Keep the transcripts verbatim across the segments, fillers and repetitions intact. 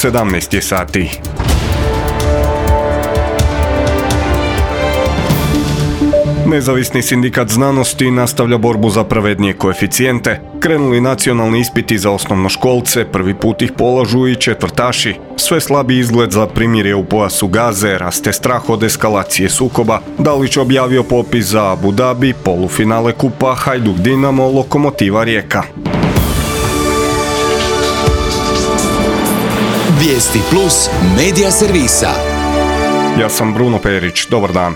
sedamnaest je sati. Nezavisni sindikat znanosti nastavlja borbu za pravednije koeficijente. Krenuli nacionalni ispiti za osnovnoškolce, prvi put ih polažu i četvrtaši. Sve slabi izgled za primirje u pojasu Gaze, raste strah od eskalacije sukoba. Dalić objavio popis za Abu Dhabi, polufinale kupa Hajduk Dinamo, Lokomotiva Rijeka. Vijesti plus medija servisa. Ja sam Bruno Perić, dobar dan.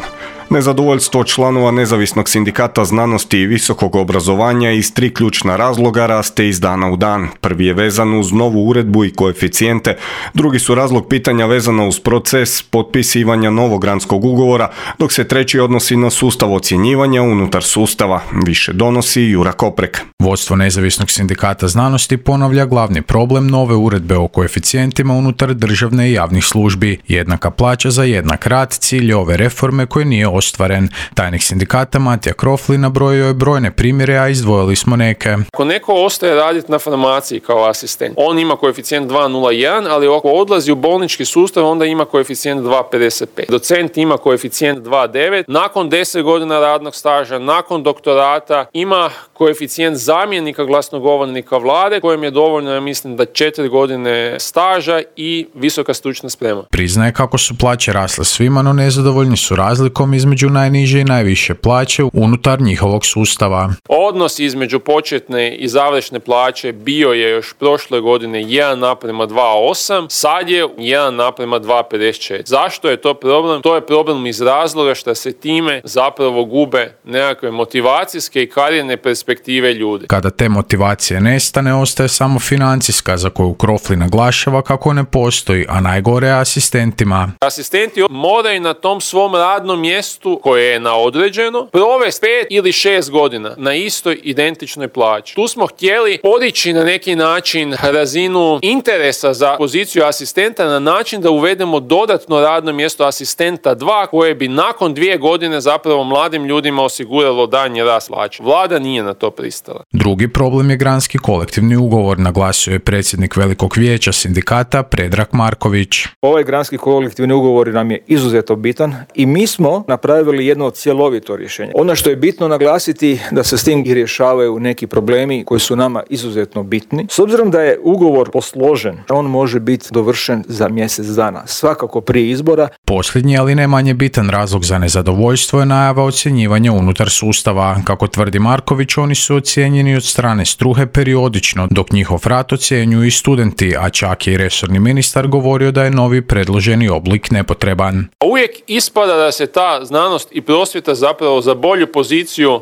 Nezadovoljstvo članova Nezavisnog sindikata znanosti i visokog obrazovanja iz tri ključna razloga raste iz dana u dan. Prvi je vezan uz novu uredbu i koeficijente, drugi su razlog pitanja vezano uz proces potpisivanja novog granskog ugovora, dok se treći odnosi na sustav ocjenjivanja unutar sustava. Više donosi Jura Koprek. Vodstvo Nezavisnog sindikata znanosti ponavlja glavni problem nove uredbe o koeficijentima unutar državne i javnih službi. Jednaka plaća za jednak rad, cilj ove reforme koje nije ostvaren. Tajnik sindikata Matija Krofli nabrojio je brojne primjere, a izdvojili smo neke. Ako neko ostaje raditi na farmaciji kao asistent, on ima koeficijent dva zarez nula jedan, ali ako odlazi u bolnički sustav, onda ima koeficijent dva zarez pedeset pet. Docent ima koeficijent dva zarez devet. Nakon deset godina radnog staža, nakon doktorata, ima koeficijent zamjenika glasnogovornika vlade, kojem je dovoljno, ja mislim, da četiri godine staža i visoka stručna sprema. Priznaje kako su plaće rasle svima, no nezadovoljni su razlikom između najniže i najviše plaće unutar njihovog sustava. Odnos između početne i završne plaće bio je još prošle godine jedan naprema dva zarez osam, sad je jedan naprema dva zarez pedeset četiri. Zašto je to problem? To je problem iz razloga što se time zapravo gube nekakve motivacijske i karijerne perspektive ljudi. Kada te motivacije nestane, ostaje samo financijska, za koju Krofli naglašava kako ne postoji, a najgore je asistentima. Asistenti moraju na tom svom radnom mjestu koje je na određeno provesti pet ili šest godina na istoj identičnoj plaći. Tu smo htjeli podići na neki način razinu interesa za poziciju asistenta na način da uvedemo dodatno radno mjesto asistenta dva koje bi nakon dvije godine zapravo mladim ljudima osiguralo daljnji rast plaće. Vlada nije na to pristala. Drugi problem je granski kolektivni ugovor, naglasio je predsjednik Velikog vijeća sindikata Predrag Marković. Ovaj granski kolektivni ugovor nam je izuzetno bitan i mi smo napravili jedno cjelovito rješenje. Ono što je bitno naglasiti da se s tim i rješavaju neki problemi koji su nama izuzetno bitni. S obzirom da je ugovor posložen, on može biti dovršen za mjesec dana, svakako prije izbora. Posljednji, ali ne manje bitan razlog za nezadovoljstvo je najava ocjenjivanja unutar sustava. Kako tvrdi Marković, oni su ocijenjeni od strane struhe periodično, dok njihov rad ocjenjuju i studenti, a čak je i resorni ministar govorio da je novi predloženi oblik nepotreban. Uvijek ispada da se ta znanost i prosvjeta zapravo za bolju poziciju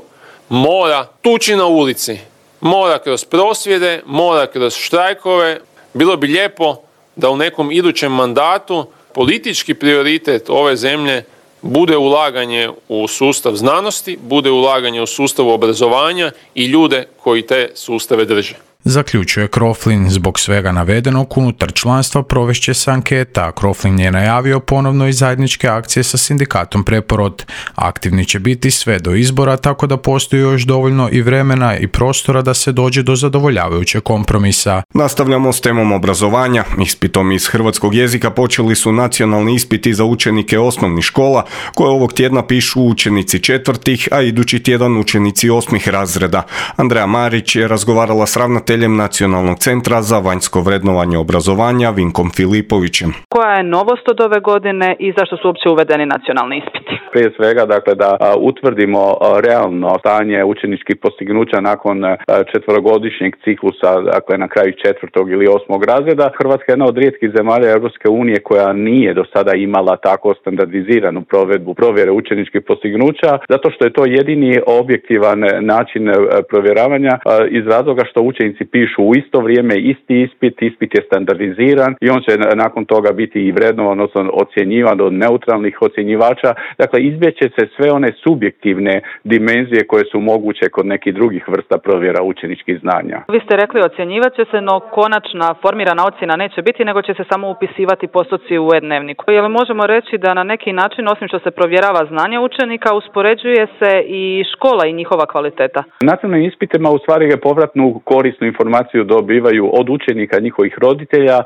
mora tući na ulici. Mora kroz prosvjede, mora kroz štrajkove. Bilo bi lijepo da u nekom idućem mandatu politički prioritet ove zemlje bude ulaganje u sustav znanosti, bude ulaganje u sustav obrazovanja i ljude koji te sustave drže. Zaključuje Kroflin. Zbog svega navedenog unutar članstva provešće se anketa. Kroflin je najavio ponovno i zajedničke akcije sa sindikatom Preporod. Aktivni će biti sve do izbora, tako da postoji još dovoljno i vremena i prostora da se dođe do zadovoljavajućeg kompromisa. Nastavljamo s temom obrazovanja. Ispitom iz hrvatskog jezika počeli su nacionalni ispiti za učenike osnovnih škola, koje ovog tjedna pišu učenici četvrtih, a idući tjedan učenici osmih razreda. Andreja Marić je razgovarala s ravnateljem Nacionalnog centra za vanjsko vrednovanje obrazovanja Vinkom Filipovićem. Koja je novost od ove godine i zašto su uopće uvedeni nacionalni ispiti? Prije svega, dakle, da a, utvrdimo a, realno stanje učeničkih postignuća nakon a, četverogodišnjeg ciklusa, dakle na kraju četvrtog ili osmog razreda. Hrvatska je jedna od rijetkih zemalja Europske unije koja nije do sada imala tako standardiziranu provedbu provjere učeničkih postignuća, zato što je to jedini objektivan način a, provjeravanja a, iz razloga što učenici pišu u isto vrijeme isti ispit, ispit je standardiziran i on će nakon toga biti i vrednovan, odnosno ocjenjivan od neutralnih ocjenjivača. Dakle, izbjeće se sve one subjektivne dimenzije koje su moguće kod nekih drugih vrsta provjera učeničkih znanja. Vi ste rekli ocjenjivat će se, no konačna formirana ocjena neće biti, nego će se samo upisivati postoci u e-dnevniku. Je li možemo reći da na neki način, osim što se provjerava znanje učenika, uspoređuje se i škola i njihova kvaliteta? Nacionalnim ispitima u stvari je povratnu korisnu povratnu informaciju dobivaju od učenika, njihovih roditelja,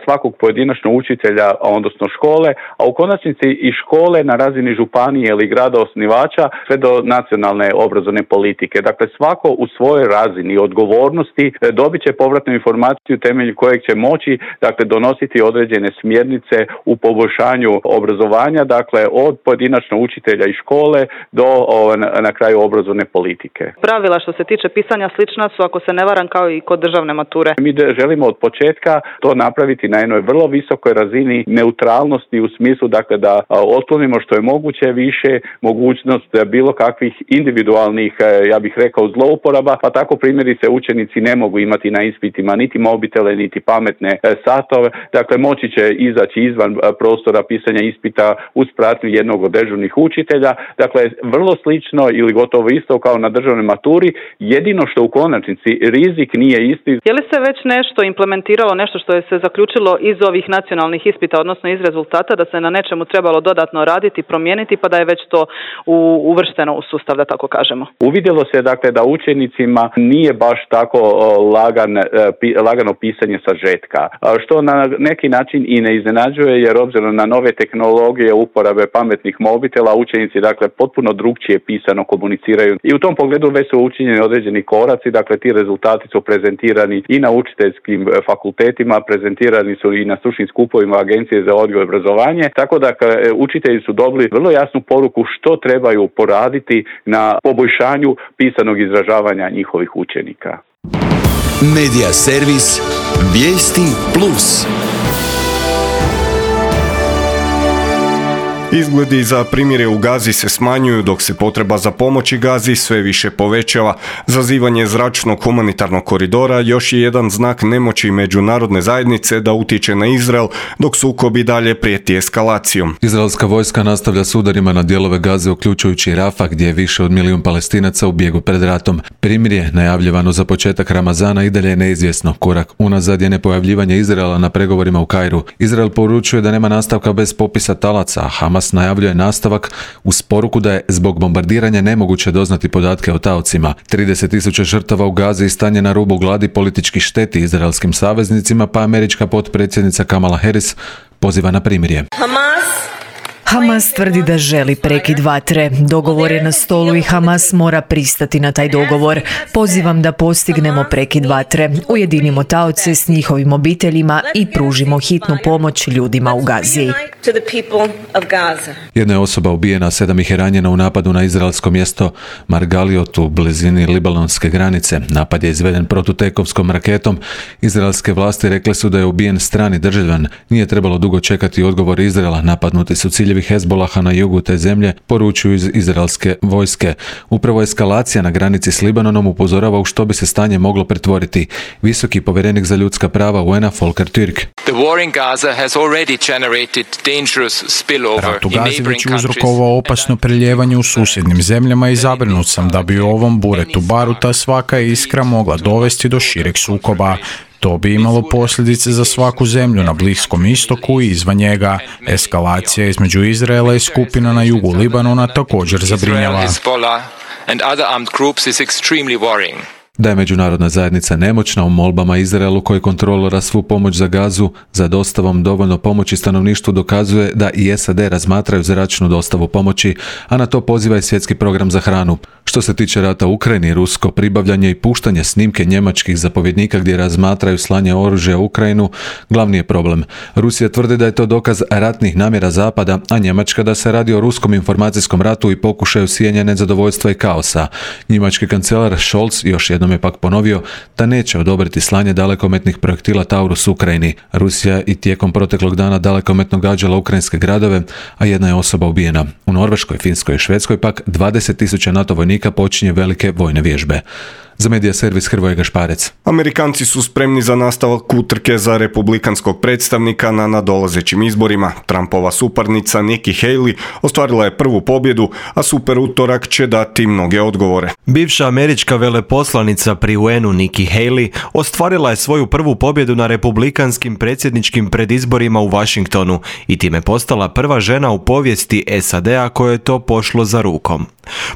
svakog pojedinačno učitelja, odnosno škole, a u konačnici i škole na razini županije ili grada osnivača sve do nacionalne obrazovne politike. Dakle, svako u svojoj razini odgovornosti dobit će povratnu informaciju temelju kojeg će moći, dakle, donositi određene smjernice u poboljšanju obrazovanja, dakle, od pojedinačno učitelja i škole do o, na, na kraju obrazovne politike. Pravila što se tiče pisanja slična su, ako se ne varam, kao i kod državne mature. Mi želimo od početka to napraviti na jednoj vrlo visokoj razini neutralnosti u smislu, dakle, da otklonimo što je moguće više mogućnost bilo kakvih individualnih, ja bih rekao, zlouporaba, pa tako primjerice učenici ne mogu imati na ispitima niti mobitele, niti pametne satove, dakle, moći će izaći izvan prostora pisanja ispita uz pratnju jednog od dežurnih učitelja, dakle, vrlo slično ili gotovo isto kao na državnoj maturi, jedino što u konačnici rizik nije isti. Je li se već nešto implementiralo, nešto što je se zaključilo iz ovih nacionalnih ispita, odnosno iz rezultata, da se na nečemu trebalo dodatno raditi, promijeniti, pa da je već to u, uvršteno u sustav, da tako kažemo? Uvidjelo se, dakle, da učenicima nije baš tako lagan, lagano pisanje sažetka, što na neki način i ne iznenađuje, jer obzirom na nove tehnologije uporabe pametnih mobitela, učenici, dakle, potpuno drugčije pisano komuniciraju. I u tom pogledu već su učinjeni određeni koraci, dakle, ti rezultati su prezentirani i na učiteljskim fakultetima, prezentirani su i na stručnim skupovima Agencije za odgoj i obrazovanje, tako da učitelji su dobili vrlo jasnu poruku što trebaju poraditi na poboljšanju pisanog izražavanja njihovih učenika. Medija servis Vijesti plus. Izgledi za primirje u Gazi se smanjuju, dok se potreba za pomoći Gazi sve više povećava. Zazivanje zračnog humanitarnog koridora još je jedan znak nemoći međunarodne zajednice da utječe na Izrael, dok sukob i dalje prijeti eskalacijom. Izraelska vojska nastavlja s udarima na dijelove Gaze, uključujući Rafah, gdje je više od milijun Palestinaca u bijegu pred ratom. Primirje, najavljivano za početak Ramazana, i dalje je neizvjesno. Korak unazad je nepojavljivanje Izraela na pregovorima u Kairu. Izrael poručuje da nema nastavka bez popisa talaca, a Hamas najavljuje nastavak uz poruku da je zbog bombardiranja nemoguće doznati podatke o taocima. trideset tisuća žrtava u Gazi i stanje na rubu gladi politički šteti izraelskim saveznicima, pa američka potpredsjednica Kamala Harris poziva na primirje. Hamas Hamas tvrdi da želi prekid vatre. Dogovor je na stolu i Hamas mora pristati na taj dogovor. Pozivam da postignemo prekid vatre, ujedinimo taoce s njihovim obiteljima i pružimo hitnu pomoć ljudima u Gazi. Jedna je osoba ubijena, sedam ih je ranjeno u napadu na izraelsko mjesto Margaliot u blizini libanonske granice. Napad je izveden protutekovskom raketom. Izraelske vlasti rekle su da je ubijen strani državljan. Nije trebalo dugo čekati odgovor Izraela. Napadnuti su ciljevi Hezbolaha na jugu te zemlje, poručuju iz izraelske vojske. Upravo eskalacija na granici s Libanonom upozorava u što bi se stanje moglo pretvoriti. Visoki povjerenik za ljudska prava U N-a Volker Türk. Rat u Gazi već je uzrokovao opasno prelijevanje u susjednim zemljama i zabrinut sam da bi u ovom buretu baruta svaka iskra mogla dovesti do šireg sukoba. To bi imalo posljedice za svaku zemlju na Bliskom istoku i izvan njega. Eskalacija između Izraela i skupina na jugu Libanona također zabrinjava. Da je međunarodna zajednica nemoćna u molbama Izraelu koji kontrolira svu pomoć za Gazu za dostavom dovoljno pomoći stanovništvu dokazuje da i S A D razmatraju zračnu dostavu pomoći, a na to poziva i svjetski program za hranu. Što se tiče rata u Ukrajini, rusko pribavljanje i puštanje snimke njemačkih zapovjednika gdje razmatraju slanje oružja u Ukrajinu glavni je problem. Rusija tvrdi da je to dokaz ratnih namjera Zapada, a Njemačka da se radi o ruskom informacijskom ratu i pokušaju sijanja nezadovoljstva i kaosa. Njemački kancelar Scholz još jednom je pak ponovio da neće odobriti slanje dalekometnih projektila Taurus Ukrajini. Rusija i tijekom proteklog dana dalekometno gađala ukrajinske gradove, a jedna je osoba ubijena. U Norveškoj, Finskoj i Švedskoj pak dvadeset tisuća NATO vojnika počinje velike vojne vježbe. Za medija servis Hrvoje Gašparec. Amerikanci su spremni za nastavak utrke za republikanskog predstavnika na nadolazećim izborima. Trumpova suparnica Nikki Haley ostvarila je prvu pobjedu, a super utorak će dati mnoge odgovore. Bivša američka veleposlanica pri U N-u Nikki Haley ostvarila je svoju prvu pobjedu na republikanskim predsjedničkim predizborima u Washingtonu i time postala prva žena u povijesti S A D-a kojoj je to pošlo za rukom.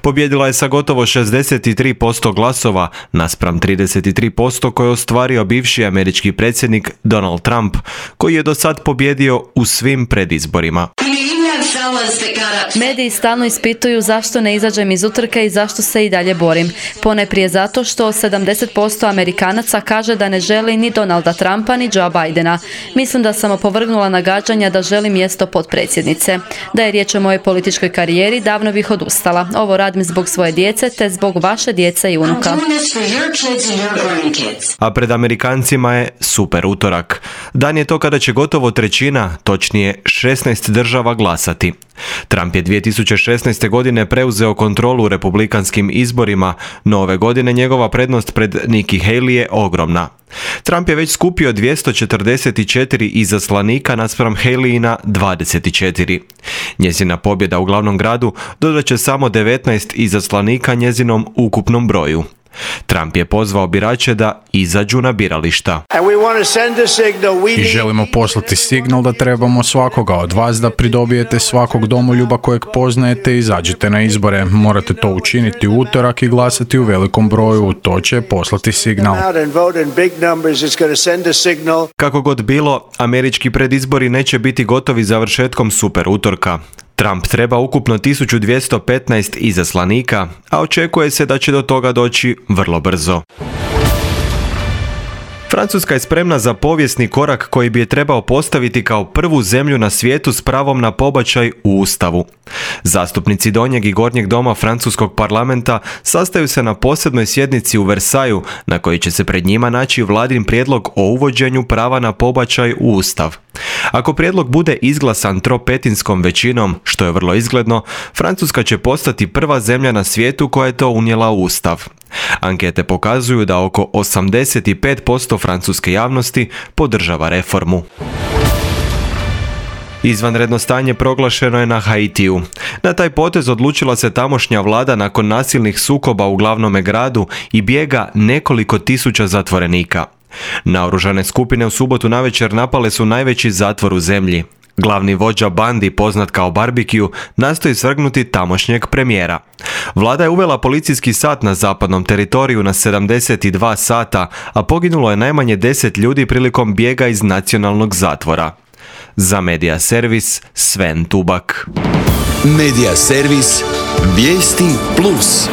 Pobjedila je sa gotovo šezdeset tri posto glasova naspram trideset tri posto koje je ostvario bivši američki predsjednik Donald Trump, koji je do sad pobjedio u svim predizborima. Mediji stalno ispituju zašto ne izađem iz utrke i zašto se i dalje borim. Ponajprije zato što sedamdeset posto Amerikanaca kaže da ne želi ni Donalda Trumpa ni Joe Bidena. Mislim da sam opovrgnula nagađanja da želim mjesto potpredsjednice. Da je riječ o mojoj političkoj karijeri, davno bih odustala. Ovo radim zbog svoje djece te zbog vaše djece i unuka. A pred Amerikancima je super utorak. Dan je to kada će gotovo trećina, točnije šesnaest država glasati. Trump je dvije tisuće šesnaeste. godine preuzeo kontrolu u republikanskim izborima, no ove godine njegova prednost pred Nikki Haley je ogromna. Trump je već skupio dvjesto četrdeset četiri izaslanika naspram Haleyina dvadeset četiri. Njezina pobjeda u glavnom gradu dodat će samo devetnaest izaslanika njezinom ukupnom broju. Trump je pozvao birače da izađu na birališta. I želimo poslati signal da trebamo svakoga od vas da pridobijete svakog domoljuba kojeg poznajete i izađete na izbore. Morate to učiniti u utorak i glasati u velikom broju. To će poslati signal. Kako god bilo, američki predizbori neće biti gotovi završetkom super utorka. Trump treba ukupno tisuću dvjesto petnaest izaslanika, a očekuje se da će do toga doći vrlo brzo. Francuska je spremna za povijesni korak koji bi je trebao postaviti kao prvu zemlju na svijetu s pravom na pobačaj u Ustavu. Zastupnici donjeg i gornjeg doma francuskog parlamenta sastaju se na posebnoj sjednici u Versaju, na kojoj će se pred njima naći vladin prijedlog o uvođenju prava na pobačaj u Ustav. Ako prijedlog bude izglasan tropetinskom većinom, što je vrlo izgledno, Francuska će postati prva zemlja na svijetu koja je to unijela u Ustav. Ankete pokazuju da oko osamdeset pet posto francuske javnosti podržava reformu. Izvanredno stanje proglašeno je na Haitiju. Na taj potez odlučila se tamošnja vlada nakon nasilnih sukoba u glavnome gradu i bijega nekoliko tisuća zatvorenika. Naoružane skupine u subotu navečer napale su najveći zatvor u zemlji. Glavni vođa bandi, poznat kao Barbecue, nastoji svrgnuti tamošnjeg premijera. Vlada je uvela policijski sat na zapadnom teritoriju na sedamdeset dva sata, a poginulo je najmanje deset ljudi prilikom bijega iz nacionalnog zatvora. Za Medija Servis, Sven Tubak. Medija Servis, vijesti plus.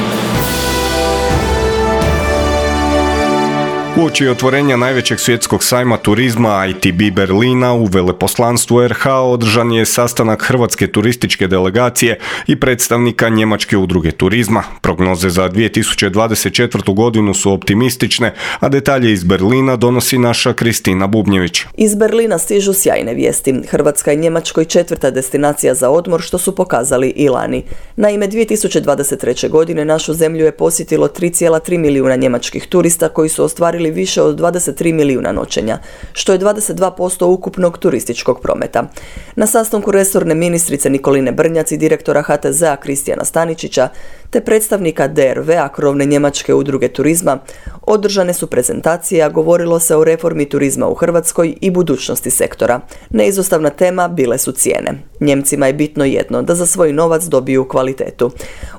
Uoči otvorenja najvećeg svjetskog sajma turizma I T B Berlina u veleposlanstvu R H održan je sastanak hrvatske turističke delegacije i predstavnika njemačke udruge turizma. Prognoze za dvije tisuće dvadeset četvrtu. godinu su optimistične, a detalje iz Berlina donosi naša Kristina Bubnjević. Iz Berlina stižu sjajne vijesti. Hrvatska je Njemačkoj četvrta destinacija za odmor, što su pokazali i lani. Naime, dvije tisuće dvadeset treće. godine našu zemlju je posjetilo tri zarez tri milijuna njemačkih turista koji su ostvarili više od dvadeset tri milijuna noćenja, što je dvadeset dva posto ukupnog turističkog prometa. Na sastanku resorne ministrice Nikoline Brnjac i direktora H T Z-a Kristijana Staničića te predstavnika D R V-a, krovne njemačke udruge turizma, održane su prezentacije, a govorilo se o reformi turizma u Hrvatskoj i budućnosti sektora. Neizostavna tema bile su cijene. Njemcima je bitno jedno, da za svoj novac dobiju kvalitetu.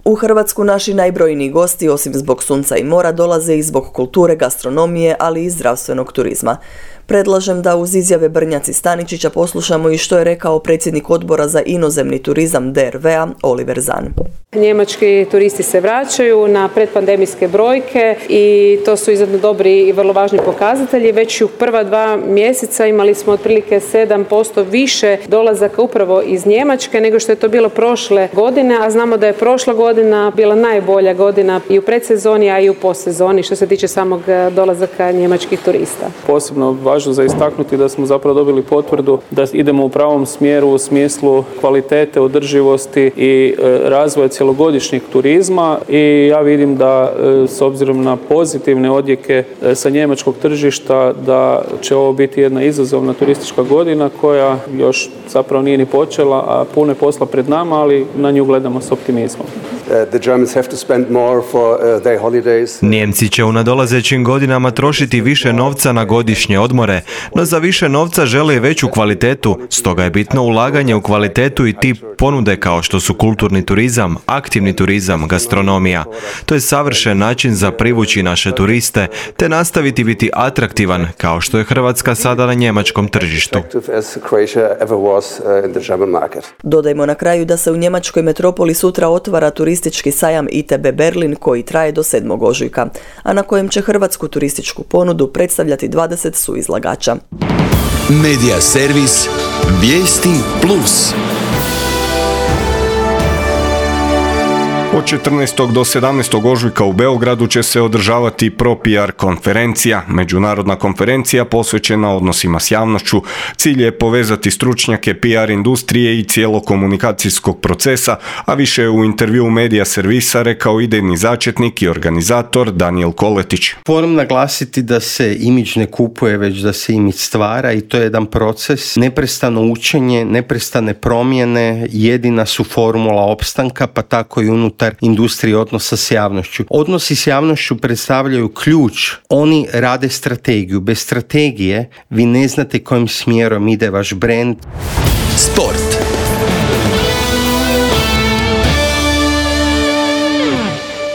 U Hrvatsku naši najbrojniji gosti, osim zbog sunca i mora, dolaze i zbog kulture, gastronomije, ali i zdravstvenog turizma. Predlažem da uz izjave Brnjac i Staničića poslušamo i što je rekao predsjednik odbora za inozemni turizam D R V-a Oliver Zahn. Njemački turisti se vraćaju na predpandemijske brojke i to su izuzetno dobri i vrlo važni pokazatelji. Već u prva dva mjeseca imali smo otprilike sedam posto više dolazaka upravo iz Njemačke nego što je to bilo prošle godine, a znamo da je prošla godina bila najbolja godina i u predsezoni, a i u postsezoni što se tiče samog dolazaka njemačkih turista. Posebno važno za istaknuti da smo zapravo dobili potvrdu da idemo u pravom smjeru u smislu kvalitete, održivosti i razvoja cjelogodišnjeg turizma i ja vidim da s obzirom na pozitivne odjeke sa njemačkog tržišta da će ovo biti jedna izazovna turistička godina koja još zapravo nije ni počela, a puno je posla pred nama, ali na nju gledamo s optimizmom. Nijemci će u nadolazećim godinama trošiti više novca na godišnje odmore, no za više novca žele veću kvalitetu, stoga je bitno ulaganje u kvalitetu i tip ponude kao što su kulturni turizam, aktivni turizam, gastronomija. To je savršen način za privući naše turiste, te nastaviti biti atraktivan kao što je Hrvatska sada na njemačkom tržištu. Dodajmo na kraju da se u njemačkoj metropoli sutra otvara turistički sajam I T B Berlin koji traje do sedmog ožujka, a na kojem će hrvatsku turističku ponudu predstavljati dvadeset suizlagača. Medija servis Vijesti Plus. Od četrnaestog do sedamnaestog ožujka u Beogradu će se održavati ProPR konferencija, međunarodna konferencija posvećena odnosima s javnošću. Cilj je povezati stručnjake P R industrije i cijelog komunikacijskog procesa, a više je u intervjuu Medija servisa rekao idejni začetnik i organizator Daniel Koletić. Moram naglasiti da se imidž ne kupuje, već da se imidž stvara i to je jedan proces, neprestano učenje, neprestane promjene, jedina su formula opstanka, pa tako i unutar industrije odnosa s javnošću. Odnosi s javnošću predstavljaju ključ. Oni rade strategiju. Bez strategije vi ne znate kojim smjerom ide vaš brand. Sport.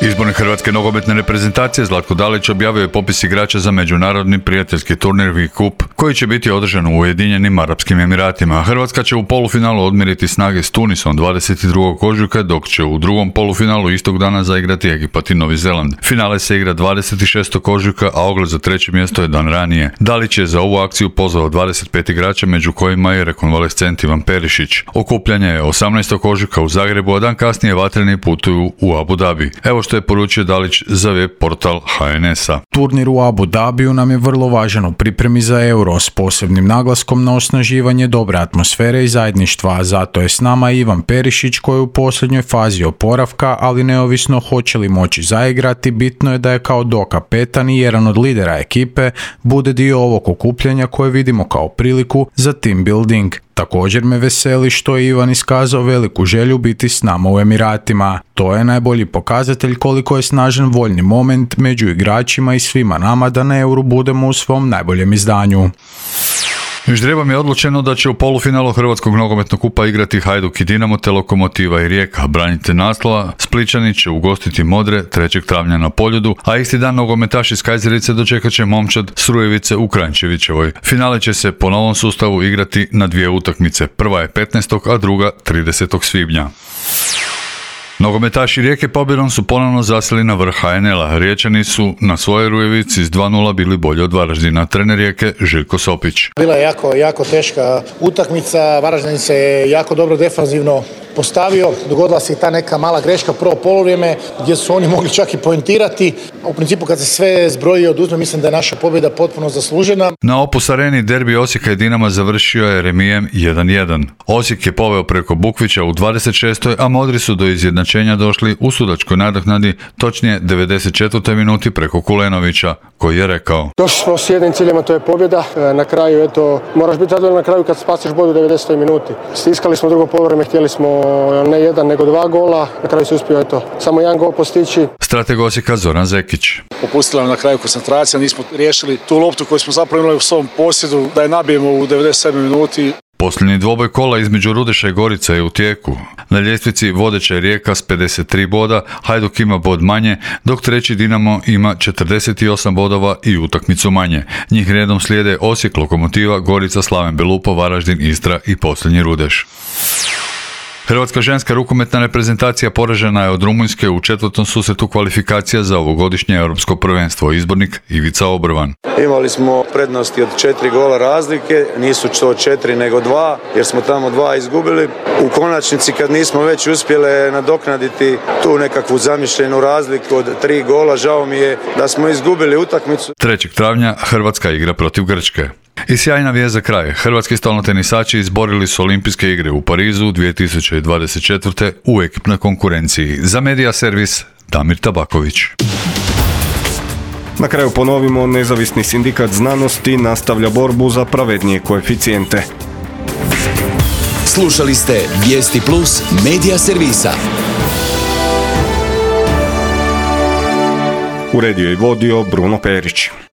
Izbornik hrvatske nogometne reprezentacije Zlatko Dalić objavio je popis igrača za međunarodni prijateljski turnir V Cup koji će biti održan u Ujedinjenim Arapskim Emiratima. Hrvatska će u polufinalu odmjeriti snage s Tunisom dvadeset drugog ožujka, dok će u drugom polufinalu istog dana zaigrati Egipat i Novi Zeland. Finale se igra dvadeset šestog ožujka, a ogled za treće mjesto je dan ranije. Dalić je za ovu akciju pozvao dvadeset pet igrača, među kojima je rekonvalescent Ivan Perišić. Okupljanje je osamnaestog ožujka u Zagrebu, a dan kasnije vatreni putuju u Abu Dhabi. Evo što je poručio Dalić za web portal H N S-a. Turnir u Abu Dhabiju nam je vrlo važan u pripremi za Euro s posebnim naglaskom na osnaživanje dobre atmosfere i zajedništva, a zato je s nama Ivan Perišić koji je u posljednjoj fazi oporavka, ali neovisno hoće li moći zaigrati, bitno je da je kao dokapetan i jedan od lidera ekipe bude dio ovog okupljanja koje vidimo kao priliku za team building. Također me veseli što je Ivan iskazao veliku želju biti s nama u Emiratima. To je najbolji pokazatelj koliko je snažan voljni moment među igračima i svima nama da na Euru budemo u svom najboljem izdanju. Ždrebom je odlučeno da će u polufinalu Hrvatskog nogometnog kupa igrati Hajduk i Dinamo te Lokomotiva i Rijeka. Branitelj naslova Splićani će ugostiti Modre trećeg travnja na Poljudu, a isti dan nogometaši iz Kajzerice dočekat će momčad Srujevice u Kranjčevićevoj. Finale će se po novom sustavu igrati na dvije utakmice. Prva je petnaestog a druga tridesetog svibnja. Nogometaši Rijeke pobjedom su ponovno zaseli na vrh H N L-a. Riječani su na svojoj Rujevici s dva nula bili bolji od Varaždina. Trener Rijeke Željko Sopić. Bila je jako, jako teška utakmica. Varaždin se je jako dobro defanzivno postavio. Dogodila se i ta neka mala greška prvo poluvrijeme gdje su oni mogli čak i poentirati. U principu kad se sve zbroji i oduzme, mislim da je naša pobjeda potpuno zaslužena. Na Opus Areni derbi Osijeka i Dinama završio je remijem jedan jedan. Osijek je poveo preko Bukvića u dvadeset šestoj a Modri su do izjednačenja došli u sudačkoj nadoknadi, točnije devedeset četvrtoj minuti preko Kulenovića, koji je rekao: Došli smo s jednim ciljem, a to je pobjeda. Na kraju, eto, moraš biti zadovoljan na kraju kad spasiš bodu u devedesetoj minuti. Stiskali smo drugo poluvreme, htjeli smo ne jedan nego dva gola, na kraju se uspio eto samo jedan gol postići. Strateg Osijeka Zoran Zekić. Popustila nam na kraju koncentracija, nismo riješili tu loptu koju smo zapravo imali u svom posjedu da je nabijemo u devedeset sedmoj minuti. Posljednji dvoboj kola između Rudeša i Gorica je u tijeku. Na ljestvici vodeća je Rijeka s pedeset tri boda, Hajduk ima bod manje, dok treći Dinamo ima četrdeset osam bodova i utakmicu manje. Njih redom slijede Osijek, Lokomotiva, Gorica, Slaven Belupo, Varaždin, Istra i posljednji Rudeš. Hrvatska ženska rukometna reprezentacija poražena je od Rumunjske u četvrtom susretu kvalifikacija za ovogodišnje europsko prvenstvo. Izbornik Ivica Obrvan. Imali smo prednosti od četiri gola razlike, nisu to četiri nego dva, jer smo tamo dva izgubili. U konačnici kad nismo već uspjele nadoknaditi tu nekakvu zamišljenu razliku od tri gola, žao mi je da smo izgubili utakmicu. trećeg travnja Hrvatska igra protiv Grčke. I sjajna vijest za kraj. Hrvatski stolnotenisači izborili su olimpijske igre u Parizu dvije tisuće dvadeset četvrte u ekipnoj konkurenciji. Za Medija servis Damir Tabaković. Na kraju ponovimo, nezavisni sindikat znanosti nastavlja borbu za pravednije koeficijente. Slušali ste Vijesti Plus Medija servisa. Uredio i vodio Bruno Perić.